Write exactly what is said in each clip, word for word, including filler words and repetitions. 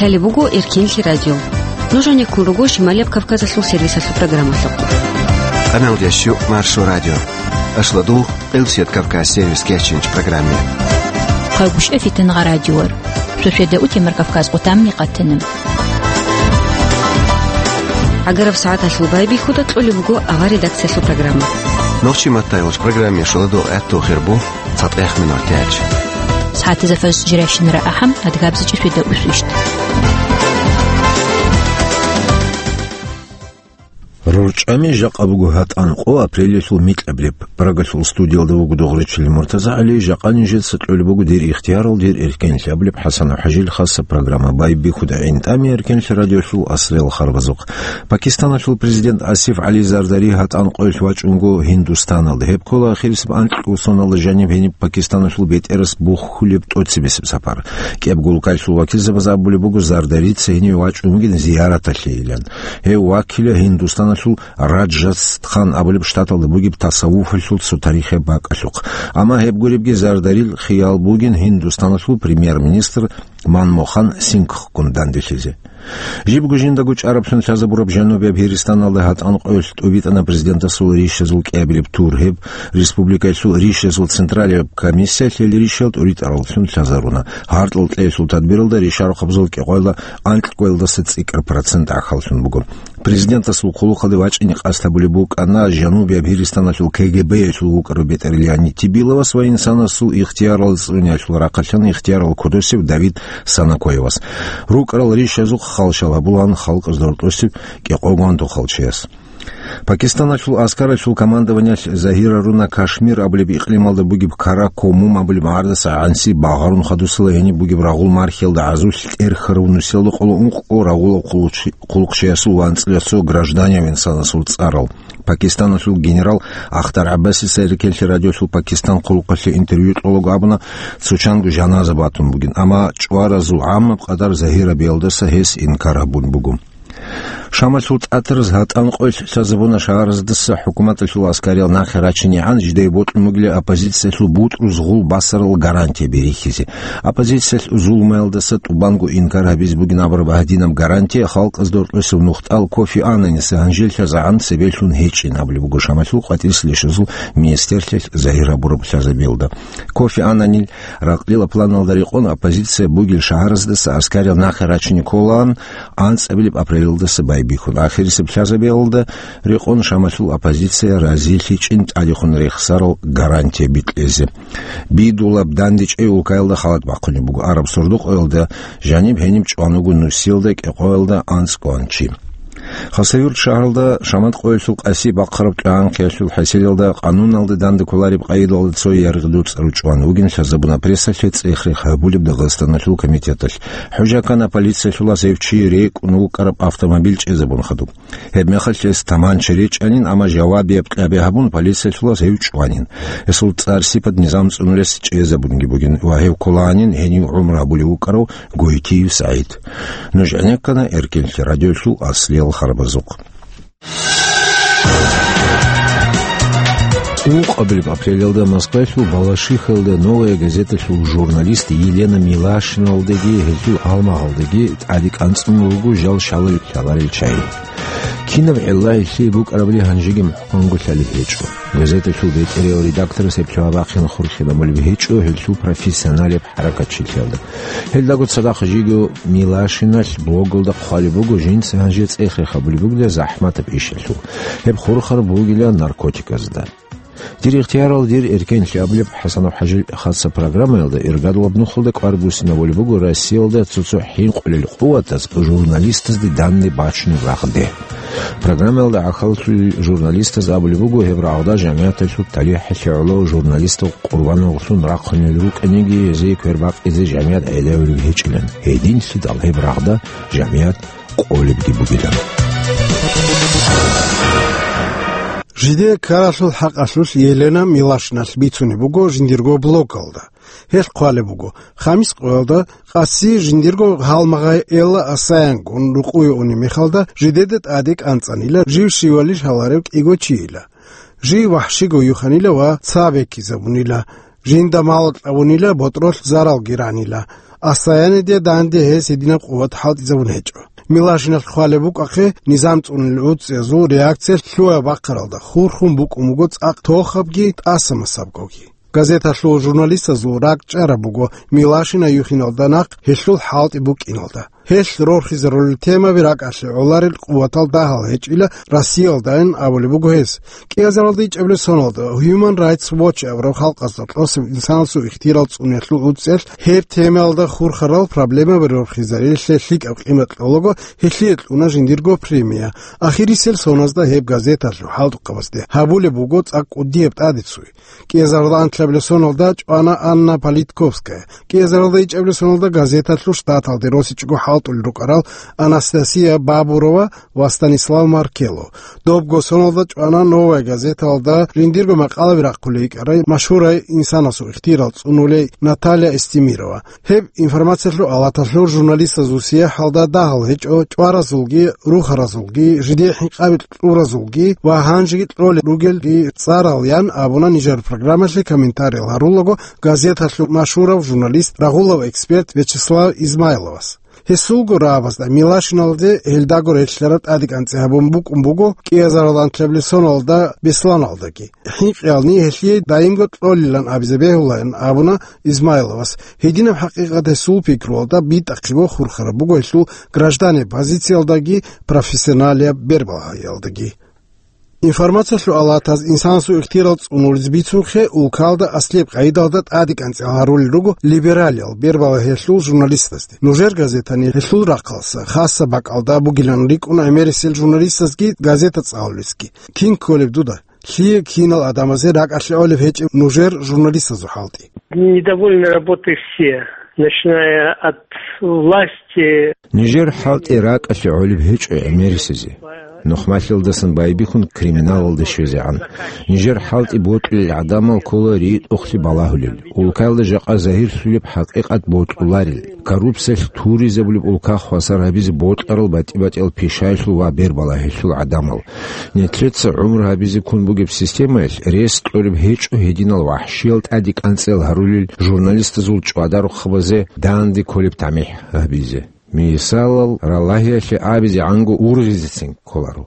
Лъалеб буго Эркенлъи радио. Нуж гьанеккун руго Шималияб Кавказалъул сервисалъул программалъухъ. Къаналдящу Маршо радио. Ашладул Къилсият Кавказ сервис кечинч программе. Хъайгуща фитангъа радиор. Шошеда утемар Кавказ къутамни къатана. Агараб сагӀаталъул байбихьуда кьолеб буго авар редакциялъул программа. Нохчи маттайолч программе шоладо гӀатту хирбу. ЦатӀех минутач. СагӀатизафас жиращинара ахӀам, адгабзичӀи фида усвищт. РорчӀами жакъа буго гьатӀан къо апрелиялъул микьаб реб. Прагалъул студиялда вуго Догъричили МуртазагӀали, жакъа нижеца кьолеб буго дир ихтиярал, дир эркенлъи абулеб ХӀасанов ХӀажил хаса программа. Байбихьуда гӀинтӀами Эркенлъи радиолъул аслел харбазухъ. Пакистаналъул президент Асиф ГӀали Зардари гьатӀан къоялъ вачӀунго Гьиндустаналда. Гьеб ккола ахирисеб анкьго соналда жаниб гьениб Пакистаналъул бетӀерас бухьулеб тӀоцебесеб сапар. КӀиябго улкаялъул вакилзабаз абулеб буго Зардарица гьениве вачӀун вугин зияраталъейилан. Гьев вакила Гьиндустаналъул Раджастхан абулеб штаталда бугеб тасаввуфалъул цо тарихияб бакӀалъухъ. Амма гьеб гуребги Зардарил хиял бугин Гьиндустаналъул премьер-министр Манмохан Сингхгун данделъизе. Жибго жиндаго чӀараблъун лъазабураб Жанубияб Гьиристаналда гьатӀан къоялъ тӀубитӀана президентасул ришазул кӀиабилеб тур. Гьеб республикаялъул ришазул централияб комиссиялъ гьел ришал тӀуритӀараллъун лъазаруна. Гьаркьал кьеялъул тадбиралда ришарухъабазул кӀикъоялда анкьго кӀиялдаса цӀикӀкӀар процент гӀахьаллъун буго. Президентасул хъулухъалде вачӀине къасд гьабулеб букӀана Жанубияб Гьиристаналъул КГБ-ялъул вукӀарав бетӀер Леонид Тибиловас ва инсанасул ихтиярал цӀуниялъул рахъалъан ихтиярал кодосев Давид Санакоевас. РукӀарал ришазухъ халщал гьабулаан халкъазда рокьосев кӀикъого антохалчияс. Пакистаналъул аскаралъул командованиялъ загьираруна Кашмир абулеб икълималда бугеб Каракумум абулеб гӀардаса гӀанси багъарун хадусела гьениб бугеб рагъул мархиялда гӀазулъ тӀерхьарав нусиялда къоло ункъго рагъулав хъулухъчи-, хъулухъчиясул ва анцӀила цо гражданияв инсанасул цӀарал. Пакистаналъул генерал Ахтар ГӀаббасица Эркенлъи радиолъул Пакистан хъулухъалъе интервью кьолаго абуна, цо чанго жаназа батун бугин, амма чӀваразул гӀаммаб къадар загьирабиялдаса гьес инкар гьабун буго. Шамалъул тӀатараз гьатӀан къоялъ лъазабуна шагьараздаса хӀукуматалъул аскариял нахъе рачинегӀан жидее бокьун бугила оппозициялъул бутӀруз гъул басарал гарантияби рихьизе. Оппозициялъ зулмаялдаса тӀубанго инкар гьабизе бугин абураб гьадинаб гарантия халкъазда рокьосев нухтӀал Кофи Аннаниса гьанжел лъазагӀан цебе лъун гьечӀин абулеб буго Шамалъул къватӀирсилищазул министерлъиялъ загьир гьабураб лъазабиялда. Кофи Аннанил ракълила планалда рекъон оппозиция бугел шагьараздаса аскариял нахъе рачине кколаан, анцӀабилеб апрелалдаса байбихьун. Ахирисеб лъазабиялда рекъон Шамалъул оппозиция разилъичӀин тӀадехун рехсарал гарантия бикьезе. Бидулаб дандечӀей улкаялда халат бахъунеб буго. Араб сордо-къоялда жаниб гьениб чӀван вуго нусиялда кӀикъоялда анцӀгоан чи. Хасавюрт шагьаралда Шамат къоялъул къаси бахъараб кьагӀан-хъиялъул хӀасилалда къануналда данде кколареб къайдалда цо яргъи-дуцӀар чӀван вугин лъазабуна прессалъе цӀех-рех гьабулеб Дагъистаналъул комитеталъ. ХӀужа ккана полициялъулас гьев чи рекӀун вукӀараб автомобиль чӀезабун хадуб. Гьебмехалъ гьес таманча речӀанин, амма жавабияб кьаби гьабун, полициялъулас гьев чӀванин. Гьесул цӀар-сипат низам цӀунулес чӀезабунги бугин ва гьев кколаанин гьенив гӀумру гьабулев вукӀарав Гойтиев СагӀид. Нуж гӀенеккана Эркенлъи радиолъул аслиял харбазухъ. Ункъабилеб апрелалда Москвалъул Балашихалда «Новая газеталъул» журналист Елена Милашиналдаги гьелъул гьалмагъалдаги тӀаде кӀанцӀун руго жал шалал лъаларел чагӀи. Кинаб гӀеллагьилъи букӀарабли гьанжеги мухӀканго лъалеб гьечӀо. Газеталъул бетӀериял редакторас гьеб лъугьа-бахъин хурхинабулеб гьечӀо гьелъул профессионалеб хӀаракатчилъиялда. Гьелдаго цадахъ жиго Милашиналъ блогалда хъвалеб буго жинца гьанже цӀех-рех гьабулеб бугеб захӀматаб ишалъул. Гьеб хурхараб бугила наркотиказда. Дир ихтиярал, дир эркенлъи абулеб ХӀасанов ХӀажил хаса программаялда иргадулаб нухалда кӀвар буссинабулеб буго Россиялда цо-цо хӀинкъулел къуватаз журналистазде данде бачунеб рагъде. Программаялда гӀахьаллъулел журналистаз абулеб буго гьеб рагъда жамигӀаталъул талихӀалъе гӀоло журналистал къурбаналлъун рахъунел рукӀаниги, гьезие квербакъизе жамигӀат гӀелавулеб гьечӀилан. Гьединлъидал гьеб рагъда жамигӀат къолебги бугилан. Жидее ккаралъул хӀакъалъулъ Елена Милашиналъ бицунеб буго жиндирго блогалда. Гьелъ хъвалеб буго, хамис къоялда къаси жиндирго гьалмагъай Элла Асаянгун рукъуе унеб мехалда, жидеда тӀаде кӀанцӀанила жив щивали лъаларев кӀиго чийила. Жив вахӀщиго юханила ва цабеккизабунила, жинда мал кьабунила, ботӀролъ заралги ранила. Асаяниде данде гьес гьединаб къуват хӀалтӀизабун гьечӀо. Милашиналъ хъвалеб букӀахъе, низам цӀунулел гӀуцӀиязул реакциялъ лъугьа-бахъаралда хурхун букӀун буго цӀакъ тохабги тӀаса-масабгоги. Газеталъул журналистазул ракӀчӀараб буго Милашина юхиналда нахъ гьелъул хӀалтӀи букӀиналда. Гьелъ рорхизарулел темаби ракӀалъе гӀоларел къуватал дагьал гьечӀила Россиялдайин абулеб буго гьес. КӀиазаралда ичӀабилеб соналда Human Rights Watch абураб халкъазда тӀосеб инсанасул ихтияр цӀунулелъул гӀуцӀиялъ гьеб темаялда хурхарал проблемаби рорхизарилъе лъикӀаб къимат кьолаго, гьелъие кьуна жиндирго премия. Ахирисел соназда гьеб газеталъул хӀалтӀухъабазде гьабулеб буго цӀакъ кӀудияб тӀадицуй. КӀиазаралда анлъабилеб соналда чӀвана Анна Политковская. КӀиазаралда ичӀабилеб соналда газеталъул штаталде росичӀого хӀалтӀулел рукӀарал Анастасия Бабурова ва Станислав Маркелов. Добго соналда чӀвана Новая газеталда жиндирго макъалаби рахъулей йикӀарай машгьурай инсанасул ихтияр цӀунулей Наталья Эстемирова. Гьеб информациялъул алаталъур журналистазул сияхӀалда дагьал гьечӀо чӀваразулги, рухаразулги, жидее хӀинкъаби кьуразулги ва гьанжеги кьолел ругелги цӀарал, ян абуна нижер программалъе комментариял гьарулаго газеталъул машгьурав журналист, рагъулав эксперт Вячеслав Измайловас. Гьесулго рагӀабазда Милашиналде гьелдаго релълъараб тӀадекӀанцӀи гьабун букӀун буго кӀиазарал анлъабилеб соналда Бесланалдаги. ХӀинкъиялни гьелъие даимго кьолилан абизе бегьулаан абуна Измайловас. Гьединаб хӀакъикъат гьесул пикруялда битӀахъего хурхараб буго гьелъул гражданеб позициялдаги профессионалияб бербагьаялдаги. Информациялъул алатаз инсанасул ихтияр цӀунулез бицунхъе улкалда аслияб къайдалда тӀадекӀанцӀи гьарулел руго либералиял бербагьаялъул журналистазде. Нужер газетани гьелъул рахъалса хасаб бакӀалда бугилан рикӀкӀуна гӀемерисел журналистазги газета цӀалулесги. Кин кколеб дуда? Лъие кинал гӀадамазе ракӀалъе гӀолеб гьечӀеб нужер журналистазул хӀалтӀи? Недовольны работой все, начиная от власти. Нижер хӀалтӀи ракӀалъе гӀолеб гьечӀо гӀемерисезе. Нухмалъиялдасан байбихьун криминалалде щвезегӀан. Нижер хӀалтӀи бокьулел гӀадамал ккола ритӀухълъи балагьулел. Улкаялда жакъа загьирлъулеб хӀакъикъат бокьуларел. Коррупциялъ туризабулеб улка хвасар гьабизе бокьарал батӀи-батӀиял пишаялъул ва бербалагьиялъул гӀадамал. Нилъеца гӀумру гьабизе ккун бугеб системаялъ рес кьолеб гьечӀо гьединал вахӀшиял тӀадекӀанцӀиял гьарулел журналистазул чӀвадарухъабазе данде кколеб тамихӀ гьабизе. Мисалал, ралагьиялъе абизегӀанго ургъизецин кколаро.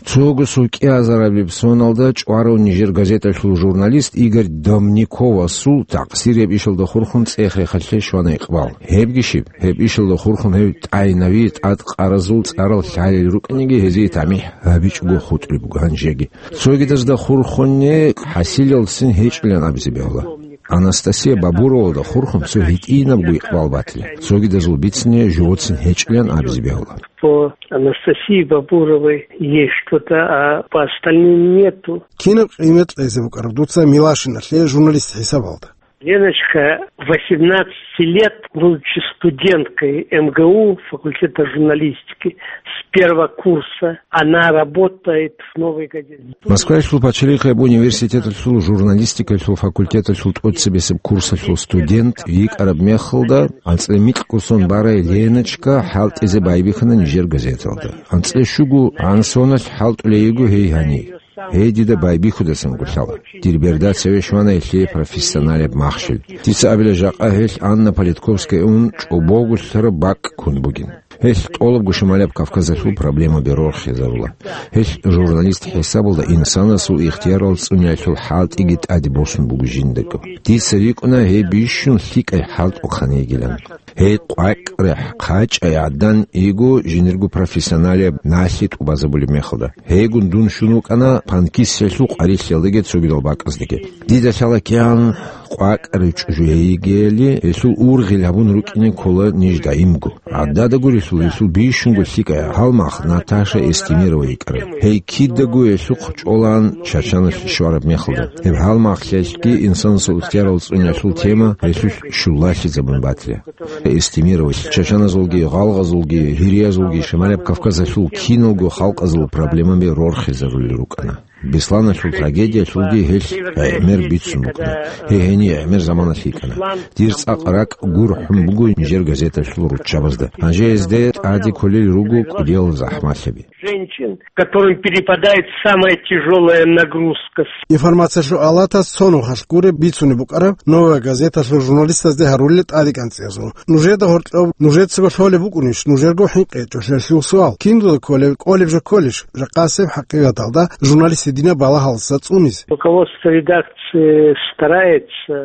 Цого сукӀиазарабилеб соналда чӀварав нижер газеталъул журналист Игорь Домниковасул такъсирияб ишалда хурхун цӀех-рехалъе щвана икъбал. Гьебги щиб, гьеб ишалда хурхун гьев тӀайнави тӀадкъаразул цӀарал лъалел рукӀинеги гьезие тамихӀ гьабичӀого хутӀулеб буго гьанжеги. Цогидазда хурхунне хӀасилалцин гьечӀилан абизе бегьула. Анастасия Бабуровалда хурхун цо гьитӀинабго икъбал батила. Цогидазул бицине живоцин гьечӀилан абизе бегьула. По Анастасии Бабуровой есть что-то, а по остальным нету. Кинаб къимат кьезе букӀараб дуца Милашиналъе журналист хӀисабалда? Леночка, восемнадцати лет, будучи студенткой МГУ, факультета журналистики, с первого курса, она работает в «Новой газете». Москваялъул пачалихъияб университеталъул журналистикалъул факультеталъул тӀоцебесеб курсалъул студент йикӀараб мехалда, анцӀила микьго сон барай Леночка хӀалтӀизе байбихьана нижер газеталда. АнцӀила щуго гӀан соналъ хӀалтӀулей йиго гьей гьанир. Гьей дида байбихьудасан гулъала. Дир берда цеве щвана гьелъие профессионалияб махщел. Дица абила, жакъа гьелъ Анна Политковская ун чӀобогулъараб бакӀ ккун бугин. Гьелъ тӀолабго Шималияб Кавказалъул проблемаби рорхизарула. Гьелъ журналист хӀисабалда инсанасул ихтиярал цӀуниялъул хӀалтӀиги тӀаде босун буго жиндаго. Дица рикӀкӀуна гьей бищун лъикӀай хӀалтӀухъан йигилан. Гьей къвакӀрехъ хъачӀай гӀадан йиго жинирго профессионалияб налъи тӀубазабулеб мехалда. Гьейгун дун щун вукӀана панкиссиялъул къварилъиялдаги цогидал бакӀаздаги. Дида лъала кигӀан къвакӀари чӀужу гьей йигели, гьелъул ургъел гьабун рукӀине ккола ниж даимго. ГӀадада гурелъул, гьелъул бищунго лъикӀай гьалмагъ Наташа Эстемирова йикӀарай. Гьей кидаго гьелъухъ чӀолаан Чачаналъ щвараб мехалда. Гьеб гьалмагълъиялъги инсанасул ихтиярал цӀуниялъул тема гьелъулъ щулалъизабун батила. Эстемировалъ чачаназулги, гъалгъазулги, гьириязулги Шималияб Кавказалъул киналго халкъазул проблемаби рорхизарулел рукӀана. Бесланалъул трагедиялъулги гьелъ гӀемер бицун букӀана. Гьей гьение гӀемер заманалъ йикӀана. Дир цӀакъ ракӀ гурхӀун буго нижер газеталъул руччабазда. Гьанже гьезде тӀаде кколел руго кӀудиял захӀмалъаби. Женщин, которым перепадает самая тяжелая нагрузка. Информациялъул алатас цо нухалъ гуреб бицунеб букӀараб «Новая газеталъул» журналистазде гьарулел тӀадекӀанцӀиязул. Нужеда гьоркьоб нужецаго лъолеб букӀунищ нужерго хӀинкъи гьечӀолъиялъул суал? Киндуда кколеб, кӀолеб жо кколищ? Жакъасеб хӀакъикъаталда журналист гьединаб балагьалдаса цӀунизе. Руководство редакции старается.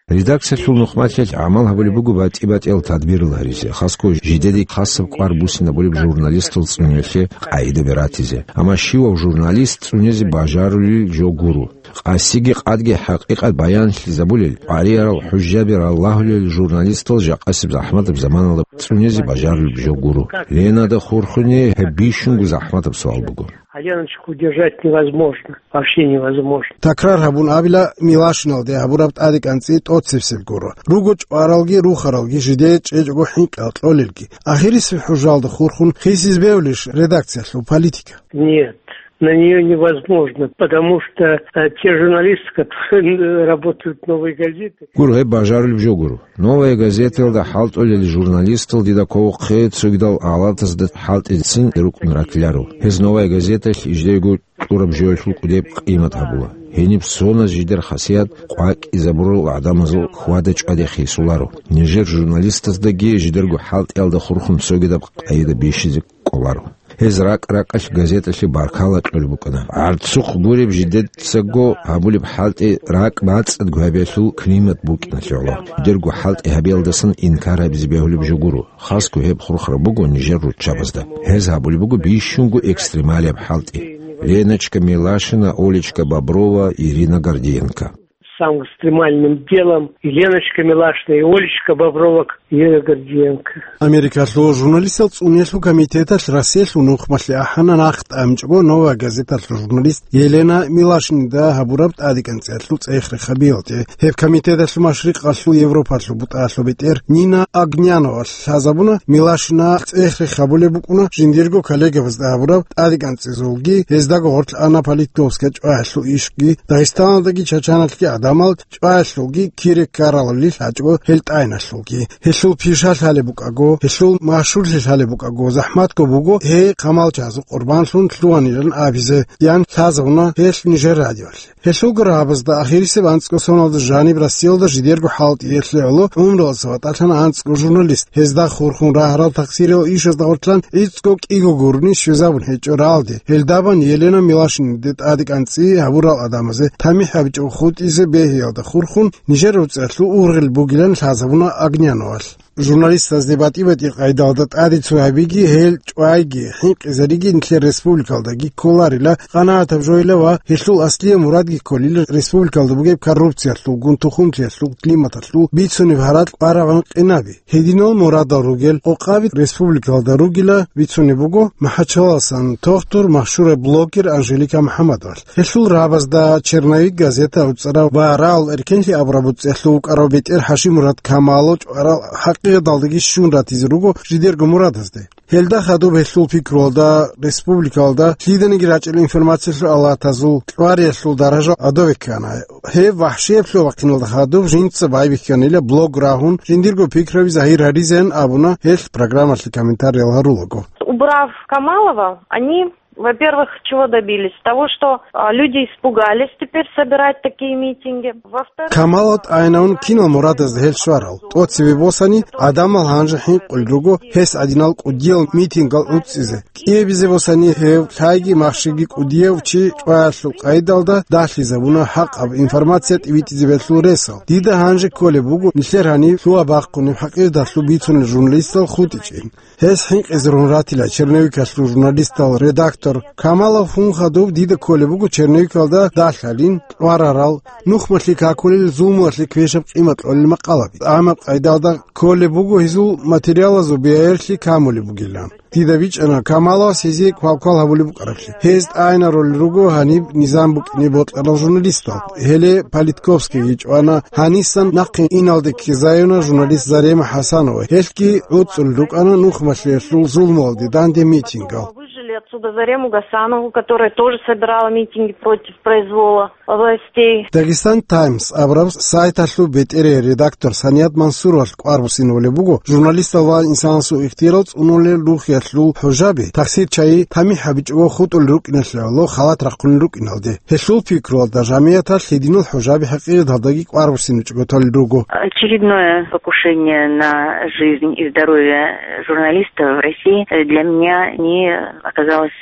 Редакциялъул нухмалъиялъ гӀамал гьабулеб буго батӀи-батӀиял тадбирал гьаризе, хасго жидеде хасаб кӀвар буссинабулеб журналистал цӀуниялъе къагӀидаби ратизе. Амма щивав журналист цӀунизе бажарулел жо гуро. Къасиги къадги хӀакъикъат баянлъизабулел, къваригӀарал хӀужжаби раллагьулел журналистал жакъасеб захӀматаб заманалда цӀунизе бажарулеб жо гуро. Ленада хурхуни гьеб бищунго захӀматаб суал буго. А Леночку удержать невозможно, вообще невозможно. Такрар гьабун абила, Милашиналде гьабураб тӀадекӀанцӀи тӀоцебсеб гуро. Руго чӀваралги рухаралги, жидее чӀечӀого хӀинкъи кьолелги. Ахирисеб хӀужалда хурхун хисиз бевлищ редакциялъул политика? Нет, на неё невозможно, потому что, э, те журналисты, которые работают в «Новой газете». Гур гьеб бажарулеб жо гуро. «Новая газетаялда» хӀалтӀулел журналистал дида кколохъе цогидал алатазда хӀалтӀицин рукӀун ратиларо. Гьез «Новая газеталъ» жидерго кьураб жоялъул кӀудеб къимат гьабула. Гьениб соназ жидер хасият къвакӀизабурал гӀадамазул хьвада-чӀваде хисуларо. Нижер журналистаздаги жидерго хӀалтӀиялда хурхун цогидаб къайда бищизе кӀоларо. Гьез ракӀ-ракӀалъ газеталъе баркала кьолеб букӀана. ГӀарцухъ гуреб жидецаго гьабулеб хӀалтӀи ракӀ бацӀцӀадго гьабиялъул климат букӀиналъе гӀоло. Жидерго хӀалтӀи гьабиялдасан инкар гьабизе бегьулеб жо гуро. Хасго гьеб хурхараб буго нижер руччабазда. Гьез гьабулеб буго бищунго экстремалияб хӀалтӀи. Леночка Милашина, Олечка Боброва, Ирина Гордиенко. Самым экстремальным делом и Леночка Милашина, и Олечка Боброва, Ирина Гордиенко. Америкалъул журналистал цӀуниялъул комитеталъ Россиялъул нухмалъе ахӀана нахъ тӀамичӀого «Новая газеталъул» журналист Елена Милашинида гьабураб тӀадекӀанцӀиялъул цӀех-рех гьабиялде. Гьеб комитеталъул машрикъалъул Европалъул бутӀаялъул бетӀер Нина Огняновалъ лъазабуна, Милашина цӀех-рех гьабулеб букӀуна жиндирго коллегабазда гьабураб тӀадекӀанцӀизулги, гьездаго гъорлъ ана политиковская чӀваялъул ишги, Дагъистаналдаги Чачаналъги гӀадамал чӀваялъулги кире ккаралали лъачӀого гьел тӀайиналъулги. Гьелъул пиша лъалеб букӀаго, гьелъул машгьурлъи лъалеб букӀаго, захӀматго буго гьей хъамалчагӀазул къурбанлъун лъугьанилан абизе, ян лъазабуна гьелъ нижер радиоялъе. Гьелъулго рагӀабазда ахирисеб анцӀго соналда жаниб Россиялда жидерго хӀалтӀиялъе гӀоло гӀумруялдаса ватӀалъана анцӀго журналист. Гьезда хурхун рагьарал тахсириял ишазда гъорлъан гӀицӀго кӀиго гурони щвезабун гьечӀо рагӀалде. Гьелдабан Елена Милашиниде тӀадекӀанцӀи гьабурал гӀадамазе тамихӀ гьабичӀого хутӀизе бегьиялда хурхун нижер реццалъул ургъел бугилан лъазабуна Огняновалъ. Журналистазде батӀи-батӀи къайдалда тӀаде цо гьабиги, гьел чӀвайги, хӀинкъизариги нилъер республикалдаги кколарила къанагӀатаб жойила ва гьелъул аслияб мурадги кколила республикалда бугеб коррупциялъулгун, тухумлъиялъул, климаталъул бицунеб гьаракь барабан къинаби. Гьединал мурадал ругел къокъаби республикалда ругила бицунеб буго МахӀачаласан тохтур, машгьураб блогер Анжелика МухӀаммадовалъ. Гьелъул рагӀабазда «Черновик» газета уцӀарав ва «Рагьул эркенлъи» абураб уцӀиялъув вукӀарав бетӀер ХӀашиммурад Камалов чӀварал хӀакъикъаталдаги щун ратизе руго жидерго мурадазде. Гьелда хадуб гьелъул пикруялда республикалда лъиданиги рачӀел информациялъул алатазул кьвариялъул даража гӀодове ккана. Гьеб вахӀшияб лъугьа-бахъиналда хадуб жинца байбихьанила блог рагьун, жиндирго пикраби загьир гьаризеян абуна гьелъ программалъе комментариял гьарулаго. Убрав Камалова, они, во-первых, чего добились? Того, что, а, люди испугались теперь собирать такие митинги. Во-вторых, Камалов тӀайинавун кинал мурадазда гьел щварал? ТӀоцебе босани, гӀадамал гьанже хӀинкъулел руго гьес гӀадинал кӀудиял митингал гӀуцӀизе. КӀиабизе босани гьев лъайги махщиги кӀудияв чи чӀваялъул къайдалда далъизабуна хӀакъаб информация тӀибитӀизе бегьулел ресал. Дида гьанже кколеб буго нилъер гьаниб лъугьа-бахъунеб хӀакъикъаталъул бицунел журналистал хутӀичӀин. Гьес хӀинкъизарун ратила черновикалъул журналистал редактор Камалов. Гьун хадуб дида кколеб буго черновикалда далъалин, кьварарал, нухмалъе какулел зулмуялъе квешаб къимат кьолел макъалаби. ТӀамаб къайдалда кколеб буго гьезул материалазул бигӀерлъи камулеб бугилан. Дида бичӀчӀана Камаловас гьезие квалквал гьабулеб букӀараблъи. Гьез тӀайинарулел руго гьаниб низам букӀине бокьарал журналистал. Гьеле Политковскийги чӀвана, гьанисан нахъе иналде ккезаюна журналист Зарема ХӀасанова. Гьелъги гӀуцӀулел рукӀана нухмалъиялъул зулмуялде данде митингал. Отсюда Зарему Гасанову, которая тоже собирала митинги против произвола властей. Дагестан Таймс абураб сайталъул бетӀерей редактор Саният Мансуровалъ кӀвар буссинабулеб буго, журналистал ва инсанасул ихтияр цӀунулел рухиялъул хӀужаби, тахсир чагӀи тамихӀ гьабичӀого хутӀулел рукӀиналъе гӀоло халат рахъунел рукӀиналде. Гьелъул пикруялда жамияталъ гьединал хӀужаби хӀакъикъаталдаги кӀвар буссинабичӀого толел руго. Очередное покушение на жизнь и здоровье журналиста в России для меня не оказалось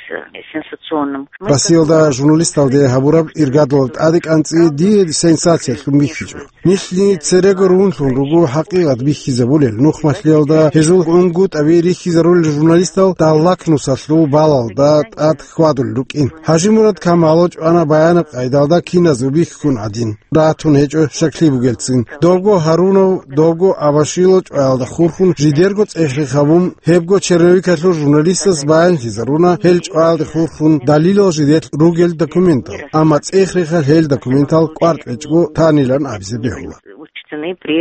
сенсационным. Россиялда журналисталде гьабураб иргадалаб тӀадекӀанцӀи дие сенсациялъун бихьичӀо. Нилъни церего рунлъун руго хӀакъикъат бихьизабулел, нухмалъиялда гьезул унгутӀаби рихьизарулел журналистал даллакнусалъул балалда тӀад хьвадулел рукӀин. ХӀажимурад Камалов чӀвана баянаб къайдалда киназго бихьун гӀадин. Ратун гьечӀо щаклъи бугелцин. Добго Гьарунов, добго Абашило чӀваялда хурхун жидерго цӀех-рех гьабун, гьебго черновикалъул журналистас баянлъизаруна гьел чӀваялде хурхун далилал жидер ругел документал. Амма цӀех-рехалъ гьел документал кӀвар кьечӀого танилан абизе бегьула. Учтены при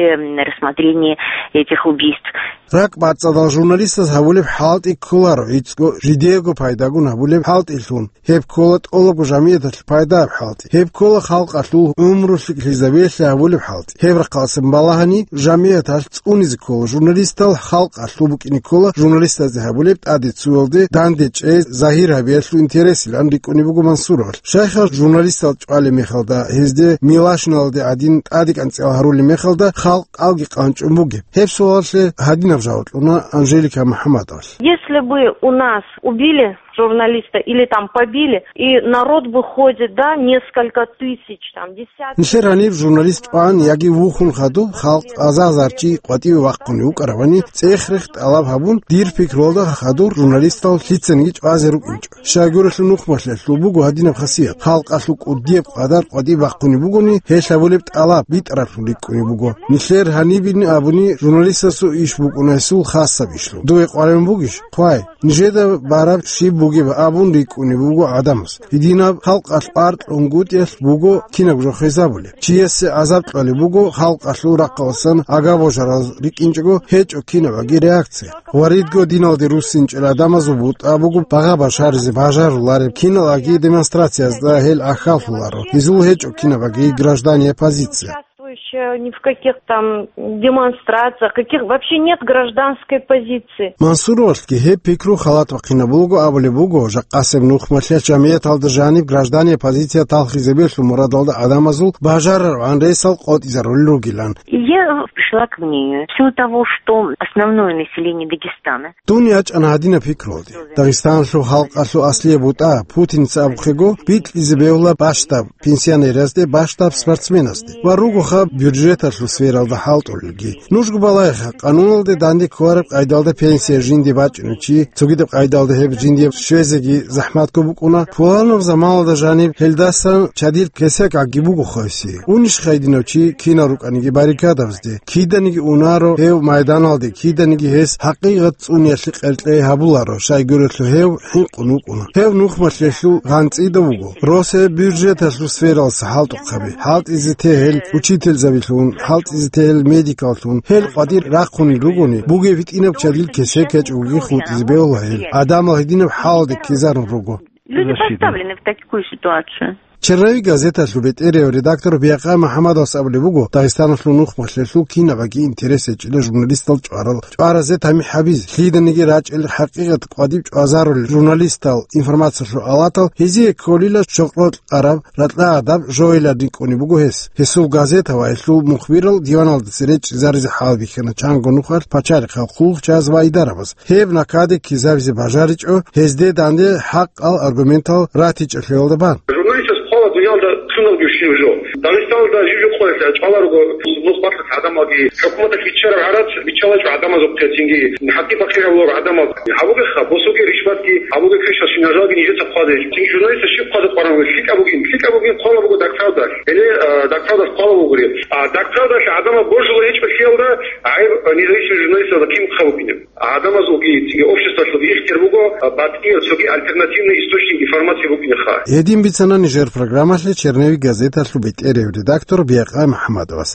рассмотрении этих убийств. РакӀбацӀцӀадал журналистас гьабулеб хӀалтӀи кколаро гӀицӀго жидеего пайдагун гьабулеб хӀалтӀилъун. Гьеб ккола тӀолабго жамияталъе пайдаяб хӀалтӀи. Гьеб ккола халкъалъул гӀумру лъикӀлъизабиялъе гьабулеб хӀалтӀи. Гьеб рахъалъан балагьани, жамияталъ цӀунизе ккола журналистал, халкъалъул букӀине ккола журналистазде гьабулеб тӀаде цуялде данде чӀей загьир гьабиялъул интересилан рикӀкӀунеб буго Мансуровалъ. Щайха журналистал чӀвалеб мехалда, гьезде милашиналде гӀадин тӀадекӀанцӀиял гьарулеб мехалда халкъалги къанчӀун бугеб? Гьеб суалалъе гьадинаб жаваб кьуна Анжелика МухӀаммадовалъ. Если бы у нас убили журналиста или там побили, и народ выходит, да, несколько тысяч, там, десятки. Нилъер гьаниб журналист чӀван яги вухун хадуб халкъ азар-азар чи къватӀиве вахъунев вукӀаравани, цӀех-рех тӀалаб гьабун, дир пикруялда хадур журналистал лъицаниги чӀвазе рукӀинчӀо. Щайгурелъул нухмалъиялъул буго гьадинаб хасият. Халкъалъул кӀудияб къадар къватӀибе бахъунеб бугони, гьел гьабулеб тӀалаб битӀараблъун рикӀкӀунеб буго. Нилъер гьанибин абуни, журналистасул иш букӀуна гьесул хасаб ишлъун. Дуе къваригӀун бугищ? Хъвай. Нижеда бараб щиб бугеб абун рикӀкӀунеб буго гӀадамас. Гьединаб халкъалъ аркьунгутӀиялъ буго кинаб жо хвезабулеб. Чиясе гӀазаб кьолеб буго халкъалъул рахъалъан агабожараз рикӀкӀинчӀого гьечӀо кинабаги реакция. Ва ридго диналде руссинчӀел гӀадамазул бутӀа буго багъа башаризе бажарулареб киналаги демонстрациязда гьел гӀахьаллъуларо. Гьезул гьечӀо кинабаги граждане оппозиция. Участвующая ни в каких там демонстрациях, каких вообще нет гражданской позиции. Мансуровалъги гьеб пикру халат бахъинабулго абулеб буго, жакъасеб нухмалъиялъ жамияталда жаниб граждане оппозиция талхизабиялъул мурадалда гӀадамазул бажараргӀан ресал къотӀизарулел ругилан. И я пришла к мнению, в силу того, что основное население Дагестана. Дун ячӀана гьадинаб пикруялде. Дагъистаналъул халкъалъул аслияб бутӀа, Путинца абухъего, бикьизе бегьула бащдаб пенсионеразде, бащдаб спортсменазде ва ругоха бюджеталъул сфералда хӀалтӀулелги. Нужго балагьеха, къануналде данде кколареб къайдалда пенсия жинде бачӀунев чи, цогидаб къайдалда гьеб жинде щвезеги захӀматго букӀуна, пуланаб заманалда жаниб гьелдасан чадил кесекги буго хвеси. Унищха гьединав чи кинав рукӀаниги баррикадабазде? Киданиги унаро гьев майданалде, киданиги гьес хӀакъикъат цӀуниялъе къеркьей гьабуларо, щайгурелъул гьев хӀинкъун вукӀуна. Гьев нухмалъиялъул гъанцӀида вуго. Росаб бюджеталъул сфералъа хӀалтӀухъаби, хӀалтӀизе тегьел учительзабилъун, хӀалтӀизе тегьел медикаллъун, гьел къватӀир рахъунел ругони, бугеб гьитӀинаб чадил кесек гьечӀоги хутӀизе бегьула гьел. ГӀадамал гьединаб хӀалалде ккезарун руго. Люди поставлены в такую ситуацию. Черновик газеталъул бетӀерияв редактор Биякъа МухӀаммадовас абулеб буго, Дагъистаналъул нухмалъиялъул кинабаги интерес гьечӀила журналистал чӀварал, чӀваразе тамихӀ гьабизе, лъиданиги рачӀел хӀакъикъат къватӀиб чӀвазарулел журналистал, информациялъул алатал, гьезие кколила щокълокь араб, ракьа гӀадаб жоялъ рикӀкӀунеб буго гьес. Гьесул газета ва гьелъул мухбирал диваналдаса речӀчӀизаризе хӀалбихьана чанго нухалъ пачарихъал хъулухъчияз ва идарабаз. Гьеб накаде ккезабизе бажаричӀо, гьезде данде хӀакъал аргументал ратичӀелъиялда бан. Журналистас хъвала дуниялда лъуналги щив жо. Дагъистаналда жив-жив къоялъ чӀвала руго нухмалъиялъ гӀадамалги, хӀукуматалъ биччараб гӀарац биччалачӀо гӀадамазухъе, цинги хӀакъи-бакъи гьабуларо гӀадамал. Гьабуге ха, босуге ришватги, гьабуге квешал шинажалги нижеца хъвазе. Цинги журналистас щиб хъвазе къваран вугев? ЛъикӀаб бугин, лъикӀаб бугин хъвала буго Дагправдалъ. Гьеле, а, Дагправдалъ хъвала бугури. А Дагправдалъ гӀадамал божула гьечӀолъиялда гӀайиб независимый журналистазда кин хъа букӀинеб. ГӀадамазулги цинги обществалъулги ихтияр буго, а, батӀиял цоги альтернативный источник информации букӀинеха. Гьедин бицана нижер программалъе Черновик газеталъул бетӀерияв редактор Биякъа МухӀаммадовас.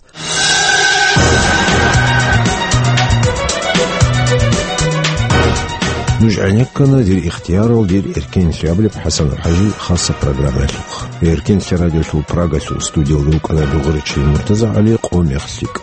Нуж гӀенеккана дир ихтиярал, дир эркенлъи абулеб ХӀасанов ХӀажи хаса программаялъухъ. Эркенлъи радиолъул Прагалъул студиялда вукӀана дугӀуричил МуртазагӀали, къо мех лъикӀ.